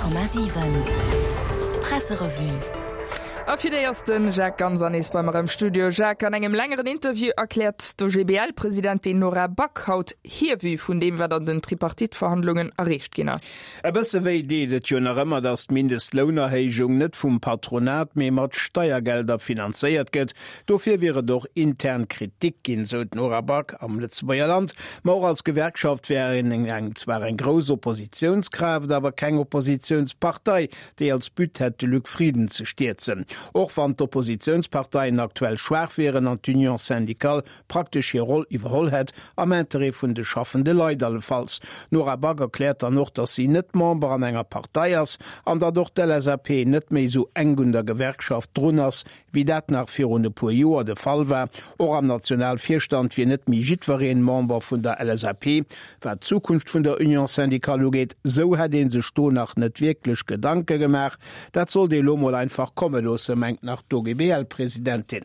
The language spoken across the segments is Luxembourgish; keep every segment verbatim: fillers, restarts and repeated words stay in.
Honnert Komma siwen Presserevue. A fir déi ass de Jacques Ganser nees bei mer am Studio. Jacques, an engem längeren Interview erkläert d'OGBL-Presidentin Nora Back haut hir Vue vun deem, wat an den Tripartite-Verhandlungen erreecht ginn ass. E bësse wéi deet et jo nach ëmmer, datt d'Mindestlounerhéijung net vum Patronat, mee mat Steiergelder finanzéiert gëtt. Dofir wier et och intern Kritik ginn, sou d'Nora Back am Lëtzebuerger Land. Ma och als Gewerkschaft wär een eng zwar eng grouss Oppositiounskraaft, awer keng Oppositiounspartei, déi als But hätt, de Luc Frieden ze stierzen. Och wann d'Oppositiounsparteien aktuell schwaach wieren an d'Union syndicale praktesch hir Roll iwwerholl hätt, am Interêt vun de schaffende Leit allefalls. D'Nora Back erkläert dann och, datt si net Member an enger Partei ass an datt och d'LSAP net méi esou enk un der Gewerkschaft drun ass, wéi dat nach virun e puer Joer de Fall war. Och am Nationalvirstand wier net méi jiddwereen Member vun der LSAP. Wat d'Zukunft vun der Union syndicale ugeet, sou hätt ee sech do nach net wierklech Gedanke gemaach. Dat sollt ee lo mol einfach komme loossen, mengt nach d'OGBL-Presidentin.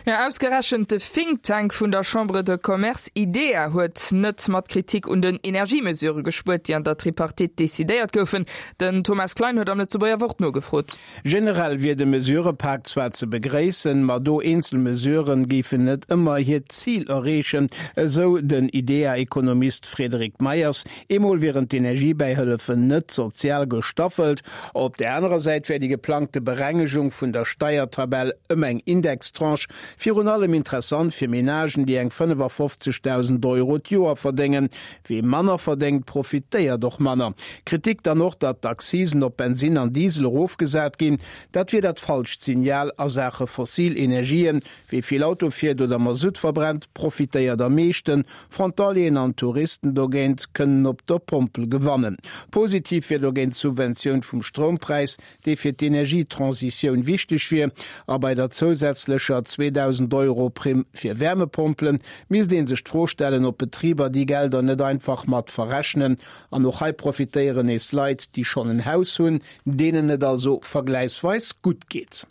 Jo, ausgerechent de Think Tank vun der Chambre de Commerce IDEA huet net mat Kritik un den Energiemesure gespuert, déi an der Tripartite decidéiert goufen. Den Thomas Klein huet am Lëtzebuerger Wort nogefrot. Generell wier de Mesurëpak zwar ze begréissen, ma do eenzel Mesuren géifen net ëmmer hiert Zil erreechen, esou den IDEA-Ekonomist Frédéric Meyers. Eemol wieren d'Energiebäihëllefen net sozial gestaffelt. Op där anerer Säit wär déi geplangte Berengegung vun der Steiertabell ëm eng Indextranche virun allem interessant fir Menagen, déi eng fënnefafofzegdausend Euro d'Joer verdéngen. Wie manner verdéngt, profitéiert och manner. Kritik dann och, datt d'Accisen op Bensinn an Diesel erofgesat ginn. Dat wier dat falscht Signal a Saache fossil Energien. Wie vill Auto fiert oder Masutt verbrennt, profitéiert am meeschten. Frontalieren an Touristen dogéint kënnen op der Pompel gewannen. Positiv wier dogéint d'Subventioun vum Stroumpräis, dee fir d'Energietransitioun wichteg wier. A bei der zousätzlecher zweedausend Euro Primm fir Wärmepompelen misst ee sech d'Fro stellen, ob d'Betriber déi Gelder net einfach mat verrechnen. An och hei profitéieren nees Leit, déi schonn en Haus hunn, deenen et also vergläichsweis gutt geet.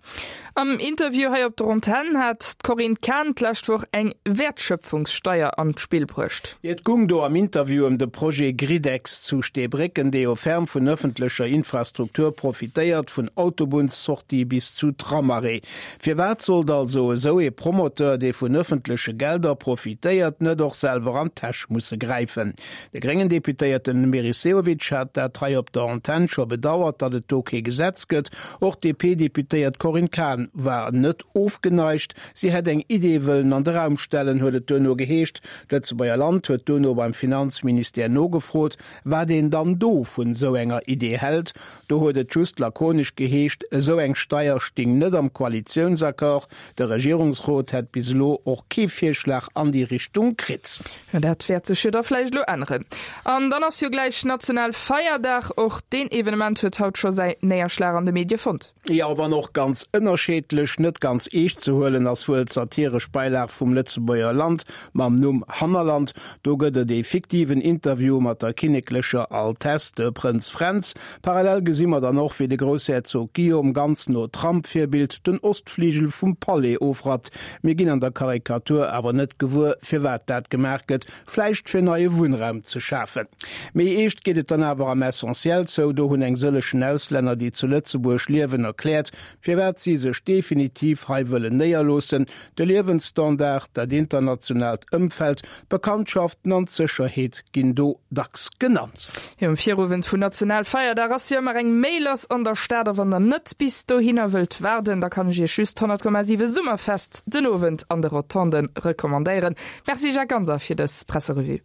Am Interview hei op der Antenn hat d'Corinne Cahen d'lescht Woch eng Wäertschöpfungssteier an d'Spill bruecht. Et gung do am Interview ëm de Projet Gridex zu Steebrécken, dee jo ferm vun ëffentlecher Infrastruktur profitéiert, vun Autobunnssortie bis zu Tramarrêt. Firwat sollt also esou ee Promoteur, dee vun ëffentleche Gelder profitéiert, net och selwer an d'Täsch musse gräifen? De gréngen Deputéierten Meris Sehovic hat dat hei op der Antenn scho bedauert, datt et do kee Gesetz gëtt. Och d'DP-Deputéiert Corinne Cahen war net ofgeneigt. Si hätt eng Idee wëllen an de Raum stellen, huet et duerno geheescht. D'Lëtzebuerger Land huet duerno beim Finanzministère nogefrot, wat een dann do vun esou enger Idee hält. Do huet et just lakonesch geheescht, esou eng Steier sting net am Koalitiounsaccord. De Regierungsrot hätt bis elo och kee Virschlag an déi Richtung kritt. Jo, dat wäert sech jo da vläicht elo änneren. An dann ass jo gläich Nationalfeierdag. Och deen Evenement huet haut scho säi Néierschlag an de Medie fonnt. Jo, wann och ganz ënnerscheedlech. Net ganz eescht ze huelen ass wuel d'satiresch Beilag vum Lëtzebuerger Land mam Numm Hannerland. Do gëtt et ee fiktiven Interview mat der kinneklecher Altesse, de Prënz Fränz. Parallel gesi mer dann och, wéi de Groussherzog Guillaume ganz no Trump-Virbild den Ostfligel vum Palais ofrappt. Mir ginn an der Karikatur awer net gewuer, firwat dat gemaach gëtt, vläicht fir neie Wunnraum ze schafen. Méi eescht geet et dann awer am Essentiel zou. Do hunn eng sëllechen Auslänner, déi zu Lëtzebuerg liewen, erkläert, firwat si sech definitiv hei wëllen néierloossen, De Liewensstandard, dat internationaalt Ëmfeld, d'Bekanntschaften an d'Sécherheet ginn do dacks genannt. Jo, um Virowend vun Nationalfeierdag ass jo ëmmer eng Méi lass an der Stad a wann der net bis dohinner wëllt waarden, da kann ech iech just honnert Komma siwe Summerfest den Owend an de Rotonden recommandéieren. Merci Jacques Ganser fir dës Presserevue.